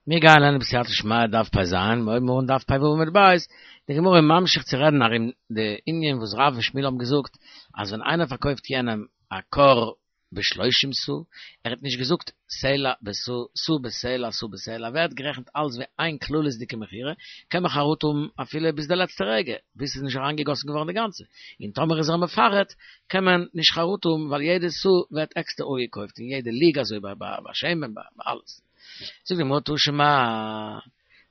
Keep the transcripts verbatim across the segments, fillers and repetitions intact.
מיר גייען לערנען בסייעתא דשמיא דף פ"ז, מיר הויבן אן דף פ"ו עמוד ב', די גמרא איז ממשיך צו רעדן ארום די ענין וואס רב און שמואל האבן געזאגט אז ווען איינער פארקויפט יענעם א כור בשלושים סאה, ער האט נישט געזאגט סלע בסאה, סאה בסלע, סאה בסלע, ווערט גערעכנט אלס ווי איין כללית'דיגע מכירה, קען מען חרטה האבן אפילו ביז די לעצטע רגע, ביז ס'איז נישט אריינגעגאסן געווארן די גאנצע, און טאמער איז ער מפרט קען מען נישט חרטה האבן ווייל יעדע סאה ווערט עקסטער אפגעקויפט און יעדע לוג אזוי ביי ביי שמן ביי אלעס. זאגט די גמרא תא שמע,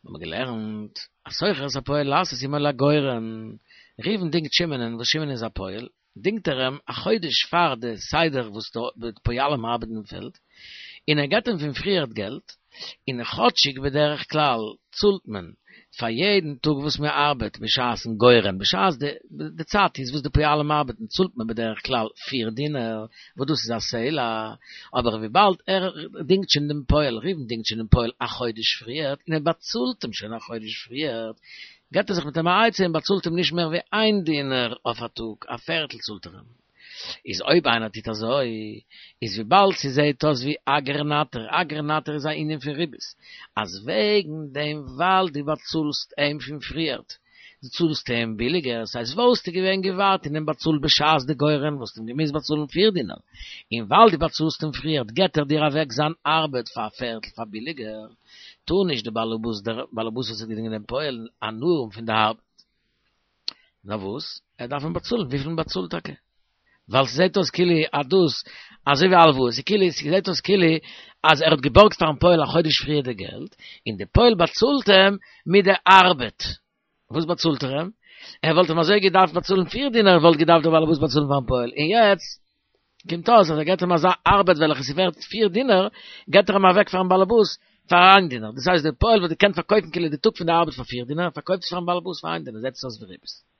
מיר האבן געלערנט, השוכר את הפועל לעשות עמו לגורן, ראובן דינגט שמעונ'ען וואס שמעון איז א פועל, דינגט ער אים א חודש פאר די סדר וואס די פועלים ארבעטן אין פעלד, און ער געבט אים פון פריערט געלט, און כאטשיג בדרך כלל צאלט מען פאר יעדן טאג וואס מען ארבעט בשעת'ן גורן, בשעת די די צייט איז וואס די פועלים ארבעטן צאלט מען בדרך כלל פיר דינר, וואס דאס איז א סלע, אבער וויבאלד ער דינגט שוין דעם פועל, ראובן דינגט שוין דעם פועל א חודש פריערט און ער באצאלט אים שוין א חודש פריערט, געבט ער זיך מיט אים א עצה און באצאלט אים נישט מער ווי איין דינר אויף א טאג, א פערטל צאלט ער אים. איז אויב איינער טוט אזוי, איז וויבאלד ס'זעהט אויס ווי אגר נטר, אגר נטר איז א ענין פון ריבית, אז וועגן דעם ווייל דו באצאלסט אים פון פריערט, דו צאלסט אים ביליגער, ס'הייסט וואלסטו געווען געווארט און אים באצאלט בשעת די גורן וואלסטו אים געמוזט באצאלן פיר דינר, און ווייל דו באצאלסט אים פריערט געט ער דיר אוועק זיין ארבעט פאר א פערטל פאר ביליגער, טאר נישט די באלעבאס דער באלעבאס וואס האט געדינגען דעם פועל הנאה האבן פון די ארבעט. נאר וואס? ער דארף אים באצאלן וויפיל מען באצאלט טאקע. ווייל ס'זעט אויס כאילו אז דאס, אזוי ווי הלוואה, ס'איז כאילו, ס'זעט אויס כאילו אז ער האט געבארגט פארן פועל א חודש פריער די געלט, און די פועל באצאלט אים מיט די ארבעט. וואס באצאלט ער אים? ער וואלט אים אזוי געדארפט באצאלן פיר דינר וואלט געדארפט דער בעלעבאס באצאלן פארן פועל, און יעצט קומט אויס אז ער געט אים אזא ארבעט וועלכע איז ווערט פיר דינר, געט ער אים אוועק פארן בעלעבאס פאר איין דינר, דאס הייסט דער פועל וואלט געקענט פארקויפן כאילו די טאג פון די ארבעט פאר פיר דינר, פארקויפט עס פארן בעלעבאס פאר איין דינר, זעט עס אויס ווי ריבית.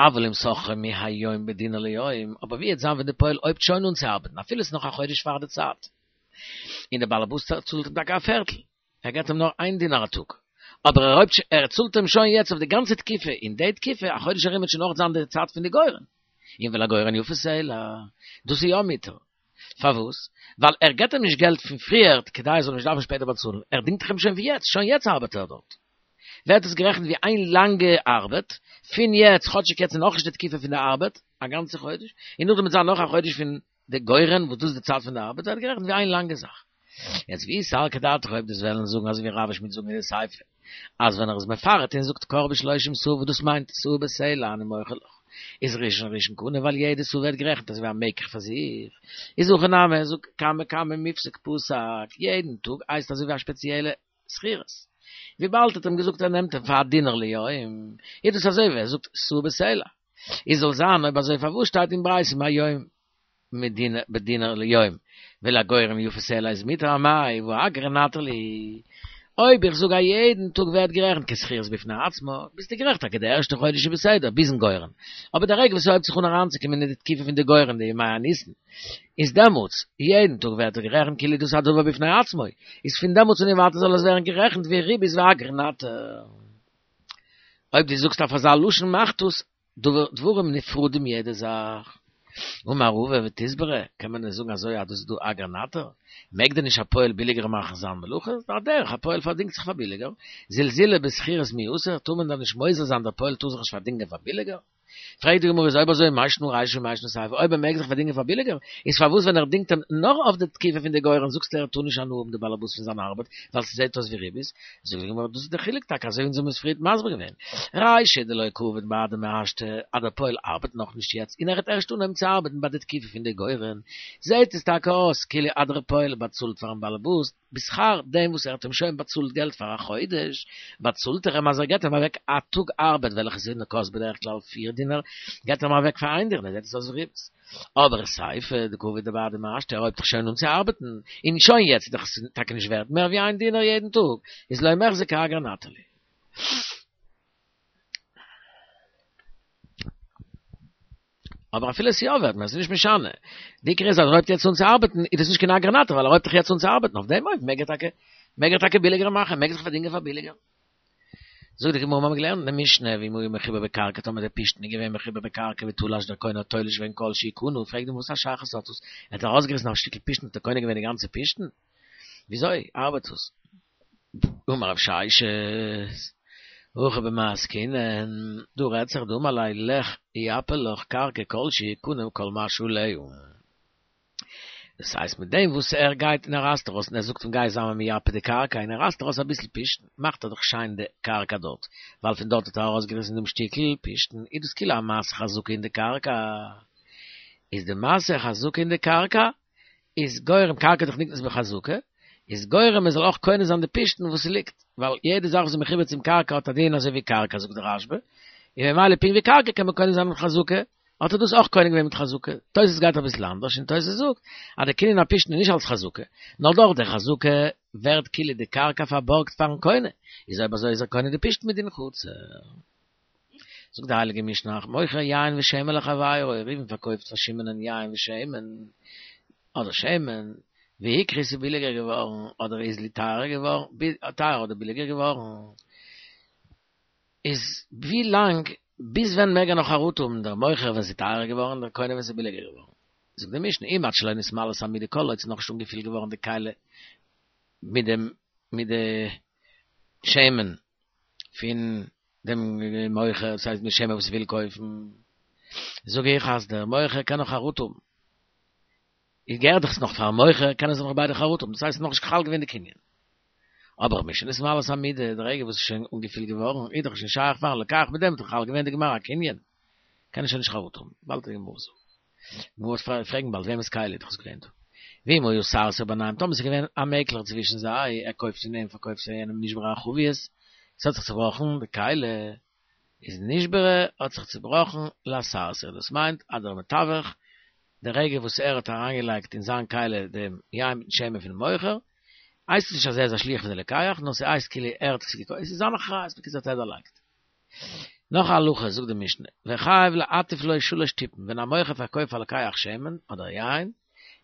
אבל אם שכרו מהיום בדינר ליום, אבער ווי וועט זיין ווען די פועל הויבט שוין אן צו ארבעטן, אפילו עס איז נאך א חודש פאר די צייט, און דער בעלעבאס צאלט אים טאקע א פערטל, ער געט אים נאר איין דינר א טאג, אבער ער הויבט ער צאלט אים שוין יעצט אויף די גאנצע תקופה, אין די תקופה, א חודש ארום וועט שוין אויך זיין די צייט פון די גורן, און ולגורן יפה סלע, דאס איז יא מותר. פארוואס? ווייל ער געט אים נישט געלט פון פריערט כדי ער זאל נישט דארפן שפעטער באצאלן, ער דינגט דאך אים שוין פון יעצט, שוין יעצט ארבעט ער דארט. ווערט עס גערעכנט ווי איין לאנגע ארבעט, פון יעצט, כאטשיג יעצט איז נאכנישט די תקופה פון די ארבעט, א גאנצע חודש, און נאכדעם וועט זיין נאך א חודש פון די גורן וואס דאס איז די צייט פון די ארבעט, ווערט גערעכנט ווי איין לאנגע זאך. יעצט ואי סלקא דעתך אויב דו'סט וועלן זאגן אזוי ווי רב ושמואל זאגן אין די סיפא אז ווען ער איז מפרט און זאגט כור בשלושים סאה וואס דאס מיינט סאה בסלע אני מוכר לך איז ראשון ראשון קנה ווייל יעדע סאה ווערט גערעכנט אזוי ווי א מקח פאר זיך איז הכא נמי זאג קמא קמא מיפסק פסק יעדן טאג הייסט אזוי ווי א שפעציעלע שכירות וויבאלד ער האט אים געזאגט ער נעמט אים פאר א דינר ליום איז דאס אזוי ווי ער זאגט סאה בסלע איז זאל זיין אויב אזוי פארוואס שטייט אין ברייתא מהיום בדינר ליום, ולגורן יפה סלע איז מותר אמאי והא אגרא נטר להו. אויב איך זאג א יעדן טאג ווערט גערעכנט כשכירות בפני עצמה, ביסטו גערעכט טאקע די ערשטע חודש איז בסדר ביזן גורן, אבער די רגע וואס ס'הויבט זיך אן אריינצוקומען אין די תקופה פון די גורן די ימי הניסן, איז דעמאלטס יעדן טאג ווערט ער גערעכנט כאילו דאס איז א דבר בפני עצמו, איז פון דעמאלטס און ווייטער זאל עס ווערן גערעכנט ווי ריבית ואגרא נטר. אויב דו זאגסט אויף אזא לשון מאכט עס דברים נפרדים יעדע זאך. אמר רבא ותסברא, קען מען דען זאגן אזוי אז דאס איז דא אגרא נטר? מעג דען נישט א פועל ביליגער מאכן זיין מלאכה? איז דאך א דרך, א פועל פארדינגט זיך פאר ביליגער. זלזולי בשכירות מי אסור, טאר מען דען נישט מוזל זיין דער פועל טאר זיך נישט פארדינגען פאר ביליגער? פרעגט די גמרא איז אויב אזוי מאי שנא רישא ומאי שנא סיפא, אויב ער מעג זיך פארדינגען פאר ביליגער, איז פארוואס ווען ער דינגט אים נאר אויף די תקופה פון די גורן זאגסטו ער טאר נישט הנאה האבן די בעלעבאס פון זיין ארבעט ווייל ס'זעט אויס ווי ריבית? זאגט די גמרא דאס איז די חילוק טאקע אזוי ווי אונז האבן עס פריערט מסביר געווען, רישא דלא קעביד בהדי מהשתא אז דער פועל ארבעט נאכנישט יעצט און ער וועט ערשט אנהויבן צו ארבעטן ביי די תקופה פון די גורן, זעט עס טאקע אויס כאילו אז דער פועל באצאלט פארן בעלעבאס בשכר דעם וואס ער האט אים שוין באצאלט געלט פאר א חודש, באצאלט ער אים אז ער געט אים אוועק א טאג ארבעט וועלכע איז קאסט בדרך כלל פיר דינר, געט ער אים אוועק פאר איין דינר, זעט עס אויס ווי ריבית. אבער סיפא דקעביד בהדי מהשתא ער הויבט דאך שוין אן צו ארבעטן, און שוין יעצט איז דאך עס טאקע נישט ווערט מער ווי איין דינר יעדן טאג, איז לא מיחזי כאגרא נטר להו. אבער אפילו עס איז יא ווערט מער, עס איז נישט משנה. די עיקר איז אז ער הויבט יעצט אן צו ארבעטן, איז דאס נישט קיין אגרא נטר ווייל ער הויבט דאך יעצט אן צו ארבעטן, אויף דעם אופן מעג ער טאקע מעג ער טאקע ביליגער מאכן, מעג זיך פארדינגען פאר ביליגער. זאגט די גמרא, מיר האבן געלערנט אין די משנה, ואם היה מחובר בקרקע, טאמער דער פשתן איז געווען מחובר בקרקע ותלש דער קונה האט תולש געווען כל שהוא קנה, פרעגט די גמרא וואס א שייכות האט דאס, ער האט ארויסגעריסן א שטיקל פשתן האט ער קונה געווען די גאנצע פשתן? וויאזוי ארבעט עס? אמר רב ששת, הכא במאי עסקינן, דא רעדט זיך דאמר ליה לך יפה לך קרקע כל שהוא קנה כל מה שעליה. דאס הייסט מיט דעם וואס ער גייט און ער רייסט ארויס און ער זאגט אים גיי זיי מיר מייפה די קרקע און ער רייסט ארויס אביסל פשתן מאכט ער דאך שיין די קרקע דארט ווייל פון דארט האט ער ארויסגעריסן דעם שטיקל פשתן איז דאס כאילו א מעשה חזקה אין די קרקע איז די מעשה חזקה אין די קרקע איז גורם קרקע דאך נקנית בחזקה איז גורם מען זאל אויך קונה זיין די פשתן וואס ס'ליגט ווייל יעדע זאך וואס איז מחובר צום קרקע האט א דין אזוי ווי קרקע זאגט דער רשב"א און ממילא פונקט ווי קרקע קען מען קונה זיין מיט חזקה האט ער דאס אויך קונה געווען מיט חזקה. תוס' גייט אביסל אנדערש און תוס' זאגט אז די קנין הפשתן איז נישט אלס חזקה, נאר דורך די חזקה ווערט כאילו די קרקע פארבארגט פארן קונה, איז אויב אזוי איז ער קונה די פשתן מדין חצר. זאגט די הייליגע משנה, מוכר יין ושמן לחבירו, ראובן פארקויפט פאר שמעונ'ען יין ושמן, אדער שמן, והיקרו ס'איז ביליגער געווארן, אדער הוזלו טייערער געווארן, טייער אדער ביליגער געווארן. איז ווי לאנג, ביז ווען מעג ער נאך חרטה האבן דער מוכר ווען ס'איז טייערער געווארן דער קונה ווען ס'איז ביליגער געווארן? זאגט די משנה אם עד שלא נתמלאת המידה כל עוד ס'איז נאכנישט אנגעפילט געווארן די כלי מיט דעם מיט די שמן פון דעם מוכר, דאס הייסט מיט שמן וואס ער וויל קויפן, זאג איך אז דער מוכר קען נאך חרטה האבן. איז געהערט דאך עס נאך פארן מוכר, קענען זיי נאך ביידע חרטה האבן, דאס הייסט עס איז נאכנישט חל געווען די קנין. אבער משנתמלאת המידה, די רגע וואס עס איז שוין אנגעפילט געווארן, איז דאך שוין שייך פארן לוקח, מיט דעם איז דאך חל געווען די גמר הקנין, קען ער שוין נישט חרטה האבן, באלד די גמרא זאגט. די גמרא וועט פרעגן באלד וועמענס כלי איז דאך עס געווען דא. ואם היה סרסיר ביניהם, טאמער עס איז געווען א מעקלער צווישן זיי, ער קויפט פון אים פארקויפט פאר יענעם נשברה החבית, עס האט זיך צובראכן די כלי, איז נשברה האט זיך צובראכן לסרסיר, דאס מיינט אז דער מתווך די רגע וואס ער האט אריינגעלייגט אין זיין כלי דעם יין מיטן שמן פונעם מוכר, הייסט עס נישט אז ער איז א שליח פון די לוקח, נאר ס'הייסט כאילו ער האט עס געקויפט, עס איז זיין אחריות, בקיצור האט ער דערלייגט. נאך א הלכה זאגט די משנה, וחייב להטיף לו שלש טיפין, ווען א מוכר פארקויפט פאר לוקח שמן אדער יין,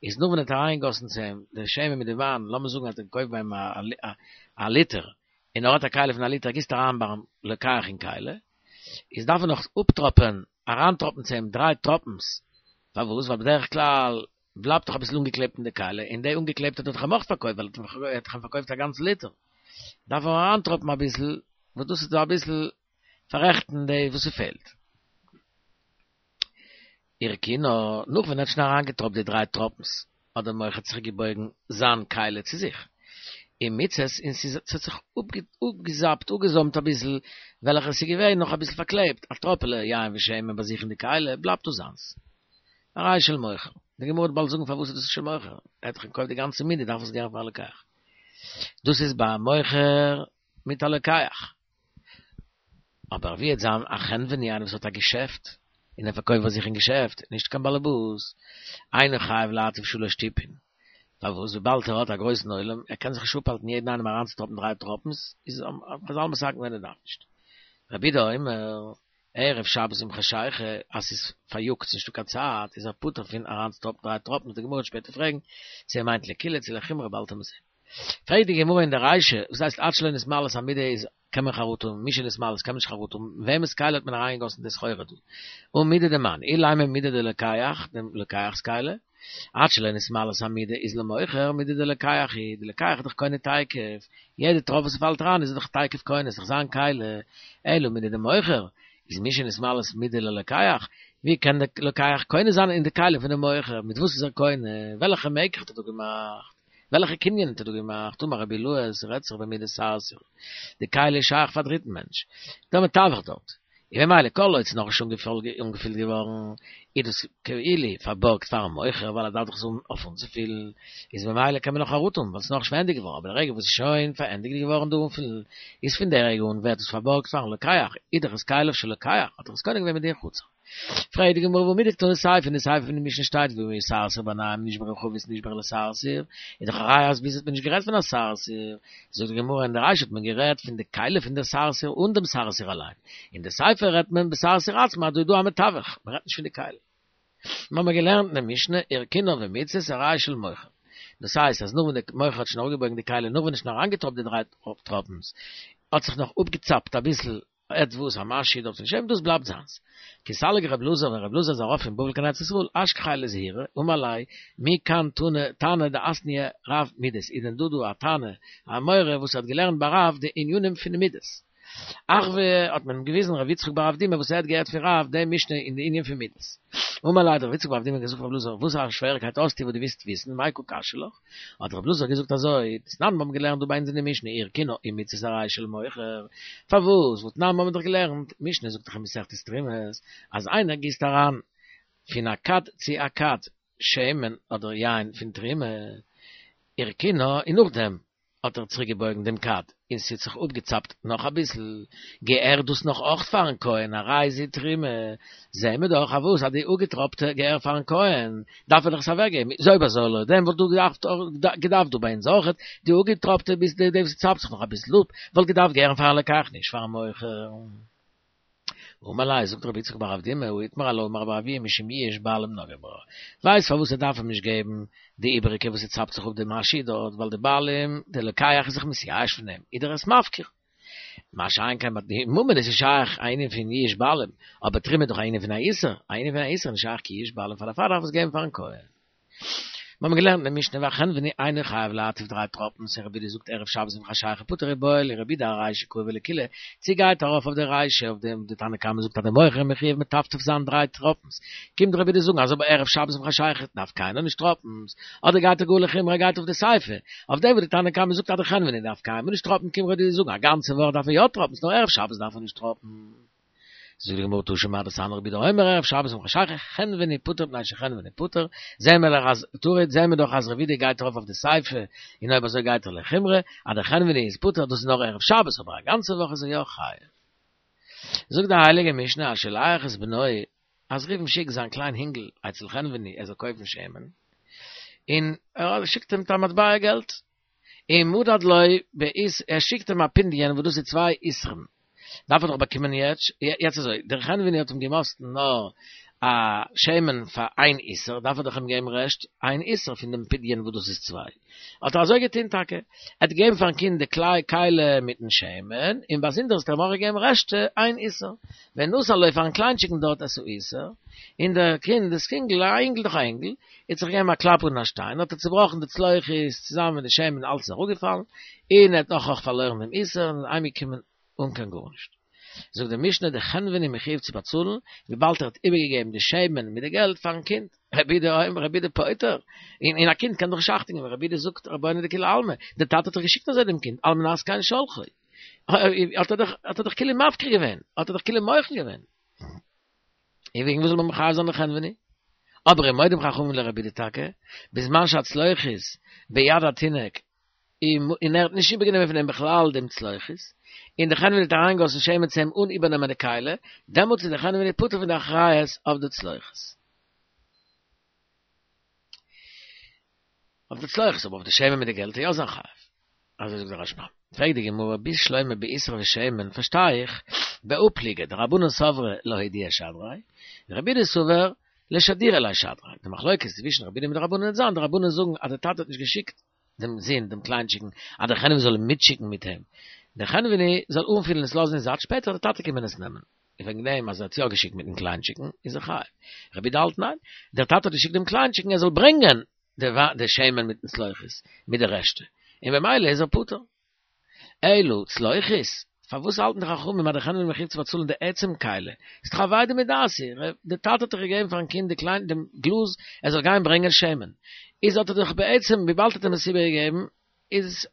איז נאך ווען ער האט אריינגעגאסן צו אים די שמן מיט די וויין, לאמיר זאגן אז ער האט געקויפט ביי אים א ליטער, און ער האט א כלי פון א ליטער, גיסט אריין ביים לוקח אין כלי, איז דארף ער נאך אפטראפען, אריינטראפן צו אים דריי טראפנס, פארוואס? ווייל בדרך כלל בלייבט דאך אביסל אנגעקלעבט אין די כלי, און די אנגעקלעבטע האט ער דאך אים אויך פארקויפט, ווייל ער האט דאך אים פארקויפט א גאנץ ליטער, דארף ער אריינטראפן אביסל, וואס דאס איז דא אביסל פאררעכטן די וואס ס'פעלט. הרכינה, נאך ווען ער האט שוין אריינגעטראפט די דריי טראפנס, האט דער מוכר צוריקגעבויגן זיין כלי צו זיך, ומיצת, און ס'איז ס'האט זיך אפגעזאפט, אפגעזוימט אביסל, וועלכע ס'איז געווען נאך אביסל פארקלעבט, א טראפעלע יין ושמן ביי זיך אין די כלי, בלייבט דאס זיינס. הרי של מוכר. די גמרא וועט באלד זאגן פארוואס איז דאס של מוכר, ער האט דאך געקויפט די גאנצע מידה, דארף עס געהערן פאר א לוקח. דאס איז ביי א מוכר מיט א לוקח. אבער ווי וועט זיין א חנווני איינער וואס האט א געשעפט און ער פארקויפט ביי זיך אין געשעפט, נישט קיין באלעבאס, אינו חייב להטיף שלש טיפין, פארוואס וויבאלד ער האט א גרויסן עולם, ער קען זיך נישט אפהאלטן יעדן איינעם אריינצוטראפן דריי טראפנס, איז חז"ל מתקן געווען ער דארף נישט. רבי יהודה אומר, ערב שבת עם חשיכה, אז ס'איז פאריאגט ס'איז נישטא קיין צייט, איז ער פטור פון אריינצוטראפן דריי טראפנס, די גמרא וועט שפעטער פרעגן צו ער מיינט לקולא צו לחומרא באלד וועט מען זען. פרעגט די גמרא אין די רישא, וואס הייסט עד שלא נתמלאת המידה איז קען מען חרטה האבן, משנתמלאת קען מען נישט חרטה האבן, וועמענס כלי האט מען אריינגעגאסן די סחורה דא? הא מידה דמאן, אילימא מידה דלוקח, דעם לוקח'ס כלי, עד שלא נתמלאת המידה איז למוכר, מידה דלוקח היא, די לוקח איז דאך קונה תיכף, יעדע טראפ וואס ס'פאלט אריין איז ער דאך תיכף קונה, ס'דאך זיין כלי, אלא מידה דמוכר, איז משנתמלאת מידה ללוקח, ווי קען די לוקח קונה זיין אין די כלי פונעם מוכר, מיט וואס איז ער קונה, וועלכע מקח האט ער דא געמאכט? וועלכע קנין האט ער דא געמאכט? אמר רבי אילעא, ס'רעדט זיך במידת סרסיר, די כלי איז שייך פאר א דריטן מענטש, דער מתווך דארט, און ממילא כל עוד ס'איז נאכנישט אנגעפילט געווארן, איז דאס כאילו פארבארגט פארן מוכר ווייל ער דארף דאך עס האבן אויף אנצופילן, איז ממילא קען מען נאך חרטה האבן ווייל ס'איז נאכנישט פארענדיגט געווארן, אבער די רגע וואס ס'איז שוין פארענדיגט געווארן די אנפילן, איז פון די רגע אן ווערט עס פארבארגט פארן לוקח, איז דאך עס כליו של לוקח, האט ער עס קונה געווען מדין חצר. פרעגט די גמרא והא מדקתני סיפא, אין די סיפא פון די משנה שטייט ואם היה סרסיר ביניהם נשברה חבית נשברה לסרסיר, איז דאך א ראיה אז ביז האט מען נישט גערעדט פון א סרסיר, זאגט די גמרא אין די רישא האט מען גערעדט פון די כלי פון די סרסיר אן דעם סרסיר אליין, אין די סיפא רעדט מען בסרסיר עצמו אז דא איז דא א מתווך, מען רעדט נישט פון די כלי. מיר האבן געלערנט אין די משנה הרכינה ומיצת הרי של מוכר. דאס הייסט אז נאך ווען די מוכר האט שוין אראפגעבויגן די כלי נאך ווען ער האט שוין אריינגעטראפט די דריי טראפנס האט זיך נאך אפגעצאפט אביסל עטוואס א משהו דארט פון שמן, דאס בלייבט זיינס. כי סליק רב אלעזר, ווען רב אלעזר איז ארויף פון בבל קיין ארץ ישראל, אשכחיה לזעירא, אמר ליה, מי כאן תנא תנא דאתנייה רב מידות, איז דען דא דא א תנא, א אמורא וואס האט געלערנט ביי רב די ענינים פון מידות? אחוה האט מען אים געוויזן ר' יצחק בר אבדימי וואס ער האט געהערט פון רב די משנה אין די ענין פון מידות. אמר ליה האט ר' יצחק בר אבדימי געזאגט רב אלעזר, וואס א שוועריקייט האסטו וואס דו ווילסט וויסן, מאי קא קשיא לך? האט רב אלעזר געזאגט אזוי, דתנן מיר האבן געלערנט דא ביי אונז אין די משנה הרכינה עם מצית הרי של מוכר, פארוואס והתנן מיר האבן דאך געלערנט, משנה זאגט דאך אין מסכת תרומות, אז איינער גיסט אריין פון א כד צו א כד שמן אדער יין פון תרומה, הרכינה און נאכדעם האט ער צוריק געבויגן דעם כד און ס'האט זיך אפגעצאפט נאך אביסל, געהערט דאס נאך אויך פארן כהן, הרי זו תרומה, זעהן מיר דאך אז וואס אז די אפגעטראפטע געהער פארן כהן, דארף ער דאך עס אוועקגעבן, איז אויב אזוי לויט דעם וואלט דא געדארפט געדארפט דא ביי אונז אויכעט די אפגעטראפטע ביז די וואס צאפט זיך נאך אביסל אפ, וואלט געדארפט געהערן פארן לוקח נישט פארן מוכר. אמר ליה, זאגט רבי יצחק בר אבדימי, הא איתמר עלה אמר רבי אבהו משום יאוש בעלים נגעו בה. ווייסט פארוואס ער דארף אים נישט געבן די איבעריגע וואס ס'צאפט זיך אפ די משהו דארט, ווייל די בעלים, די לוקח איז זיך מתייאש פון דעם, איז ער עס מפקיר. מה שאין כן ביי די ממון איז נישט שייך א ענין פון יאוש בעלים, אבער תרומה איז דאך א ענין פון א איסור, א ענין פון א איסור איז נישט שייך קיין יאוש בעלים פאר דערפאר דארף עס געבן פארן כהן. מיר האבן געלערנט אין די משנה והחנווני אינו חייב להטיף דריי טראפנס און רבי יהודה זאגט ערב שבת עם חשיכה פטור איבעיא להו רבי יהודה ארישא קאי ולקולא צי גייט ארויף אויף די רישא אויף דעם די תנא קמא זאגט אז די מוכר איז מחויב מטפטף זיין דריי טראפנס קומט רבי יהודה זאגן אז אבער ערב שבת עם חשיכה דארף קיינער נישט טראפנס אדער גייט ער גאר לחומרא גייט אויף די סיפא אויף דעם וואס די תנא קמא זאגט אז די חנווני דארף קיינמאל נישט טראפן קומט רבי יהודה זאגן א גאנצע וואך דארף ער יא טראפנס נאר ערב שבת דארף ער נישט טראפן. זאגט די גמרא תא שמע דתניא רבי יהודה אומר ערב שבת עם חשיכה חנווני פטור מפני שחנווני פטור, זעהן מיר דאך אז טוריד זעהן מיר דאך אז רבי יהודה גייט ארויף אויף די סיפא און אויב אזוי גייט ער לחומרא אז דער חנווני איז פטור דאס איז נאר ערב שבת אבער א גאנצע וואך איז ער יא חייב. זאגט די הייליגע משנה השולח את בנו אז ראובן שיקט זיין קליין הינגל אצל חנווני ער זאל קויפן שמן און ער שיקט אים מיט א מטבע געלט ומדד לו באיס ער שיקט אים א פונדיון וואס דאס איז צוויי איסרים דארף ער דאך באקומען יעצט, יעצט אזוי, דער חנווני האט אים געמאסטן נאר א שמן פאר איין איסר, דארף ער דאך אים געבן רעשט איין איסר פון דעם פדיון וואס דאס איז צוויי. האט ער אזוי געטון טאקע, ער האט געגעבן פארן קינד די כלי כלי מיטן שמן, און באזונדערס האט ער אים אויך געגעבן רעשט איין איסר. ונתן לו פארן קליינטשיקן דארט את האיסר, און דער קינד, דאס קינגל, א אינגל דאך א אינגל, האט זיך געגעבן א קלאפ אן א שטיין, האט ער צובראכן די צלוחית צוזאמען מיט די שמן, אלץ איז אראפגעפאלן, און ער האט נאך אויך פארלוירן דעם איסר, און איז אהיימגעקומען אן קיין גארנישט. זאגט די משנה די חנווני מחויב צו באצאלן, וויבאלד ער האט איבערגעגעבן די שמן מיט די געלט פארן קינד, רבי יהודה אומר רבי יהודה פוטר, און און א קינד קען דאך נישט אכטונג געבן, רבי יהודה זאגט רבונו דכולי עלמא, די טאטע האט דאך געשיקט אזוי דעם קינד, על מנת כן שלחו, האט ער דאך האט ער דאך כאילו מפקיר געווען, האט ער דאך כאילו מוחל געווען. און וועגן וואס זאל מען מחייב זיין די חנווני? אבער ומודים חכמים לרבי יהודה טאקע, בזמן שהצלוחית ביד התינוק און ער האט נישט איבערגענומען פון אים בכלל דעם צלוחית, און דער חנווני האט אריינגעגאסן שמן צו אים אן איבערנעמען די כלי, דעמאלטס איז דער חנווני פטור פון די אחריות אויף די צלוחית. אויף די צלוחית, אבער אויף די שמן מיט די געלט איז יא זיין חייב. אזוי זאגט דער רשב"ם. פרעגט די גמרא, בשלמא באיסר ושמן, פארשטיי איך, בהא פליגי, דרבנן סברי להודיע שדריה, ורבי יהודה סבר לשדורי ליה שדריה. די מחלוקת צווישן רבי יהודה מיט די רבנן וועט זיין, די רבנן זאגן אז דער טאטע האט נישט געשיקט דעם זון, דעם קליינטשיקן, אז דער חנווני זאל אים מיטשיקן מיט אים. דער חנווני זאל אנפילן און עס לאזן אין זייט, שפעטער וועט דער טאטע קומען עס נעמען. און וועגן דעם אז ער האט יא געשיקט מיטן קליינטשיקן, איז ער חייב. רבי יהודה האלט ניין, דער טאטע האט געשיקט דעם קליינטשיקן ער זאל ברענגען די שמן מיטן צלוחית, מיט די רעשטע, און במילא איז ער פטור. אלא צלוחית, פארוואס האלטן די חכמים אז דער חנווני מחויב צו באצאלן די עצם כלי? איז דאך אבידה מדעתיה, די טאטע האט דאך געגעבן פארן קינד די קליין דעם גלאז ער זאל גיין ברענגען שמן, איז האט ער דאך בעצם וויבאלד האט אים עס איבערגעגעבן איז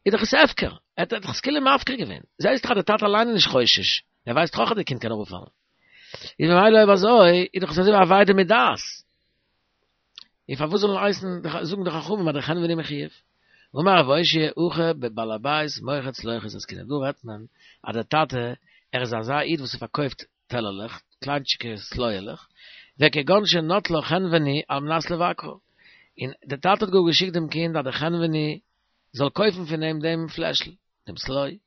איז דאך עס הפקר, ער האט דאך עס כאילו מפקיר געווען, זעהסט דאך אז די טאטע אליין איז נישט חושש, ער ווייסט דאך אויך אז די קינד קען אראפפאלן, איז ממילא אויב אזוי איז דאך עס אזוי ווי אבידה מדעת. און פארוואס זאלן הייסן זאגן די חכמים אז דער חנווני מחויב? אמר רב אושעיא הכא בבעל הבית מוכר צלוחית עסקינן, דא רעדט מען אז דער טאטע ער איז אזא איד וואס ער פארקויפט טעלערלעך, קליינטשיקע סלויעלעך, וכגון שנטלה חנווני על מנת לבקרה, און דער טאטע האט גאר געשיקט דעם קינד אז דער חנווני זאל קויפן פון אים דעם פלעשל, דעם סלוי,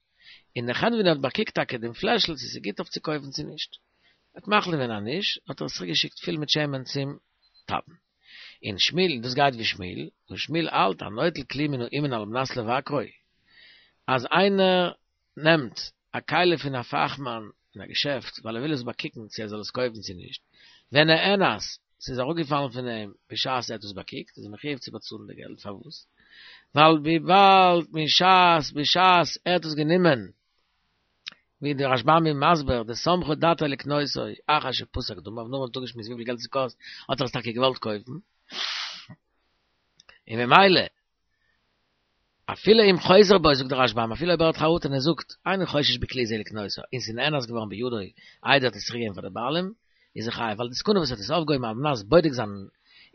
און דער חנווני האט באקוקט טאקע דעם פלעשל צו ס'איז גוט אויף צו קויפן צו נישט, ער האט מחליט געווען אז נישט, האט ער עס צוריק געשיקט פול מיט שמן צום טאטן. און שמואל, דאס גייט ווי שמואל, און שמואל האלט הנוטל כלי מן האומן על מנת לבקרו, אז איינער נעמט א א כלי פון א פאכמאן אין א געשעפט, ווייל ער וויל עס באקוקן צו ער זאל עס קויפן צו נישט, ונאנס, ס'איז אראפגעפאלן פון אים בשעת ער האט עס באקוקט, איז ער מחויב צו באצאלן די געלט, פארוואס? ווייל וויבאלד משעת בשעת ער האט עס גענומען, ווי דער רשב"ם איז מסביר, דסמכה דעתו לקנותו אחר שפסק דמיו, נאר מען האט אפגעשמועסט וויפיל געלט עס קאסט, האט ער עס טאקע געוואלט קויפן, און ממילא, אפילו אם חוזר בו, זאגט דער רשב"ם, אפילו אויב ער האט חרטה און ער זאגט, איני חושש בכלי זה לקנותו, און ס'איז נאנס געווארן בידו, איידער ער האט עס צוריקגעגעבן פאר די בעלים, איז ער חייב, ווייל די סכנה וואס ער האט עס אויפגעהויבן על מנת בודק זיין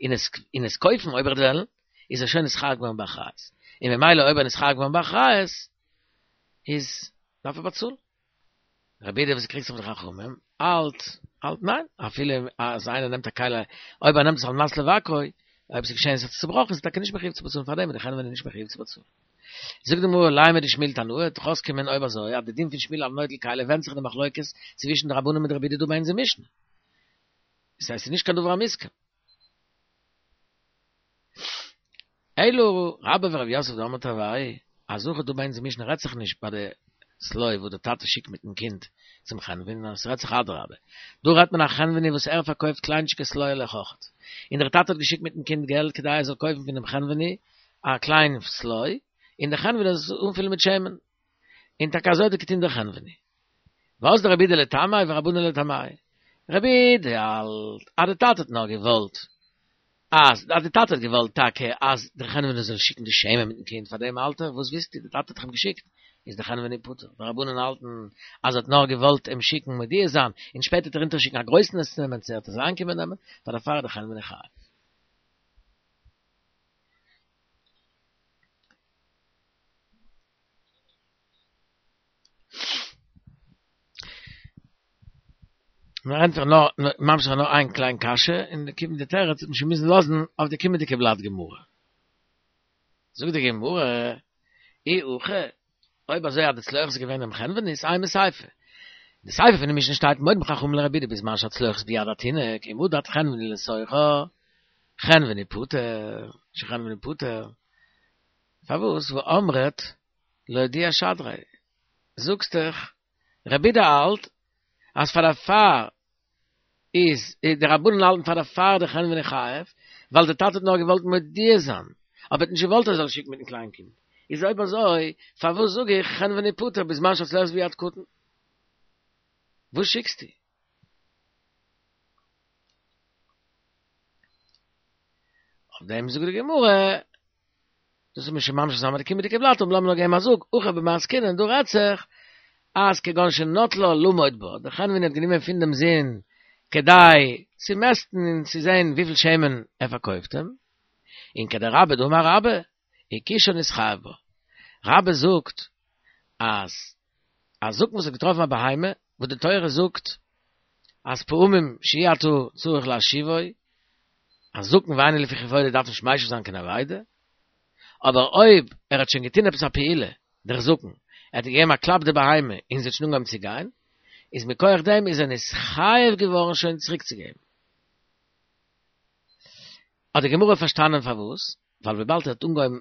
און עס און עס קויפן אויב ער וועט וועלן, איז ער שוין נתחייב געווארן באחריות. און ממילא אויב ער איז נתחייב געווארן באחריות, איז דארף ער באצאלן. רבי יהודה וואס קריגט זיך מיט די חכמים, האלט, האלט ניין, אפילו אז איינער נעמט א כלי, אויב ער נעמט עס על מנת לבקרו, אויב ס'איז געשען עס האט זיך צובראכן, איז ער טאקע נישט מחויב צו באצאלן פאר דעם, איז די חנווני נישט מחויב צו באצאלן. זאגט די גמרא, לימא דשמואל תנאי, דאך אויסקומען אויב אזוי, אז די דין פון שמואל על נוטל כלי ווענדט זיך אין די מחלוקת צווישן די רבנן מיט די רבי יהודה דא ביי אונזער משנה. דאס הייסט ס'איז נישט קיין דבר המוסכם. אלא רבה ורב יוסף דאמרי תרוייהו, אז הכא דא ביי אונזער משנה רעדט זיך נישט ביי די שלוי וואס די טאטע שיקט מיטן קינד צום חנווני, נאר עס רעדט זיך אדרבה, דא רעדט מען א חנווני וואס ער פארקויפט קליינטשיגע סלוי'לעך אויכעט, און דער טאטע האט געשיקט מיטן קינד געלט כדי ער זאל קויפן פונעם חנווני א קליין סלוי, און דער חנווני זאל עס אנפילן מיט שמן. און טאקע אזוי האט געטון דער חנווני. ואזדא רבי יהודה לטעמיה ורבנן לטעמייהו. רבי יהודה האלט אז די טאטע האט נאר געוואלט אז אז די טאטע האט געוואלט טאקע אז דער חנווני זאל שיקן די שמן מיטן קינד פאר דעם האלט ער וואס ווילסטו די טאטע האט דאך אים געשיקט איז דער חנווני פטור ורבנן האלטן אז ער האט נאר געוואלט אים שיקן מודיע זיין און שפעטער וועט ער אונטערשיקן א גרויסן עס צו נעמען צו ער וועט עס אריינקומען נעמען פאר דערפאר איז דער חנווני חייב. מיר ענטפערן נאר, ממשיך נאר איין קליין קשיא, און די קומענדע תירוץ וועט מען שוין מוזן לאזן אויף די קומענדיגע בלאט גמרא. זאגט די גמרא, אי הכי, אויב אזוי אז די צלוחית איז געווען דעם חנווני'ס, אימא סיפא. די סיפא פון די משנה שטייט מודים חכמים לרבי יהודה בזמן שהצלוחית ביד התינוק, אם מדד חנווני לתוכה, חנווני פטור, שחנווני פטור. פארוואס והאמרת לאודיע שדריה? זאגסט דאך רבי יהודה האלט אז פאר דערפאר איז די רבנן האלטן פאר דערפאר די חנווני חייב ווייל די טאטע האט נאר געוואלט מודיע זיין אבער האט נישט געוואלט ער זאל שיקן מיטן קליין קינד איז אויב אזוי פארוואס זאג איך חנווני פטור בזמן שהצלוחית ביד קטן? וואס שיקסטו? אויף דעם זאגט די גמרא דאס וועט מען שוין ממשיך זיין מיט די קומענדיגע בלאט, אבער לאמיר נאר געבן א זאג, הכא במאי עסקינן, דא רעדט זיך אז כגון שנטלה למוד בה, דער חנווני האט גענומען פון דעם זון כדי צו מעסטן און צו זען וויפיל שמן ער פארקויפט אים, און כדרבה דאמר רבה, הקישה נתחייב בה. רבה זאגט אז א זקן וואס האט געטראפן א בהמה, וואס די תורה זאגט אז פעמים שאי אתה צריך להשיבו, א זקן ואינו לפי כבודו דארף נישט משיב זיין קיין אבידה, אבער אויב ער האט שוין געטון עפעס א פעולה, דער זקן, ער האט געגעבן א קלאפ די בהמה און זי האט שוין אנגעהויבן צו גיין, איז מכח דעם איז ער נתחייב געווארן שוין צוריקצוגעבן. האט די גמרא פארשטאנען פארוואס, ווייל וויבאלד ער האט אנגעהויבן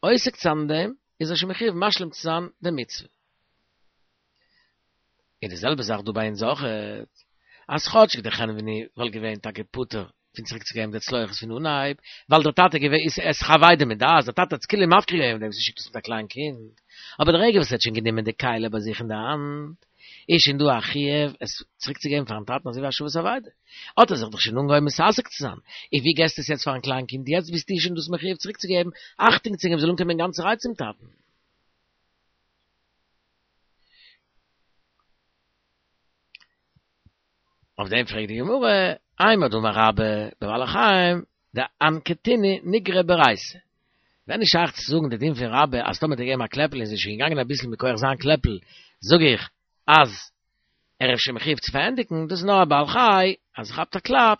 עוסק צו זיין אין דעם, איז ער שוין מחויב משלים צו זיין די מצוה. און די זעלבע זאך דא ביי אונז אויכעט, אז כאטשיג דער חנווני וואלט געווען טאקע פטור פון צוריק צו געבן די צלוחית פון אנהייב, ווייל דער טאטע געווען איז עס דאך אבידה מדעת, דער טאטע האט עס כאילו מפקיר געווען מיט דעם וואס ער שיקט עס מיט א קליין קינד, אבער די רגע וואס ער האט שוין גענומען די כלי ביי זיך אין די האנט, איז שוין דא א חיוב עס צוריק צו געבן פארן טאטן אזוי ווי השבת אבידה. האט ער זיך דאך שוין אנגעהויבן מתעסק צו זיין, און ווי געסטו עס יעצט פארן קליין קינד, יעצט ביסטו שוין דאס מחויב צוריק צו געבן, אכטונג צו געבן זאל אנקומען גאנצערהייט צום טאטן. אויף דעם פרעגט די גמרא, אימר דאמר רבה בבעלי חיים דאנקטינהו ניגרא ברייתא. ווען איז שייך צו זאגן די דין פון רבה אז טאמער האט ער געגעבן א קלעפל און זי איז שוין געגאנגען אביסל מכח זיין קלעפל זאג איך אז ער איז שוין מחויב צו פארענדיגן, דאס איז נאר א בעל חי אז ער כאפט א קלאפ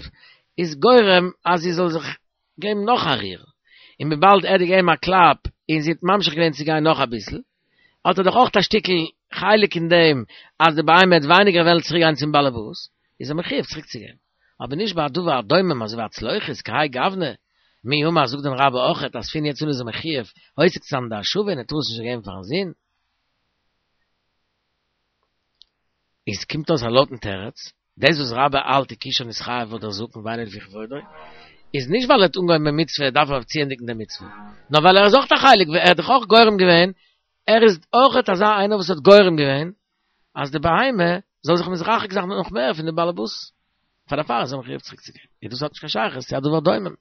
איז גורם אז זי זאל זיך געבן נאך א ריר, און וויבאלד ער האט געגעבן א קלאפ און זי האט ממשיך געווען צו גיין נאך אביסל, האט ער דאך אויך א שטיקל חלק אין דעם אז די בהמה וועט ווייניגער וועלן צוריק גיין צום באלעבאס, איז ער מחויב צוריק צו געבן. אבער נישט ביי א דבר הדומם אזוי ווי א צלוחית, כהאי גוונא, מי אמר זאגט דען רבה אויכעט אז פון יעצט אן איז ער מחויב עוסק צו זיין אין די השבה און ער טאר עס נישט געבן פארן זון? איז קומט אויס א לויטן תירוץ, דאס וואס רבה האלט הקישה נתחייב דער זקן ואינו לפי כבודו, איז נישט ווייל ער האט אנגעהויבן מיט מצוה, דארף ער צוענדיגן די מצוה, נאר ווייל ער איז אויך א חלק, ער האט דאך אויך גורם געווען, ער איז אויך אזא איינער וואס האט גורם געווען, אז די בהמה זאל זיך מתרחק זיין נאך מער פון די באלעבאס. פאר דערפאר איז ער מחויב צוריקצוגעבן. דאס האט נישט קיין שייכות, צו א דבר דומם.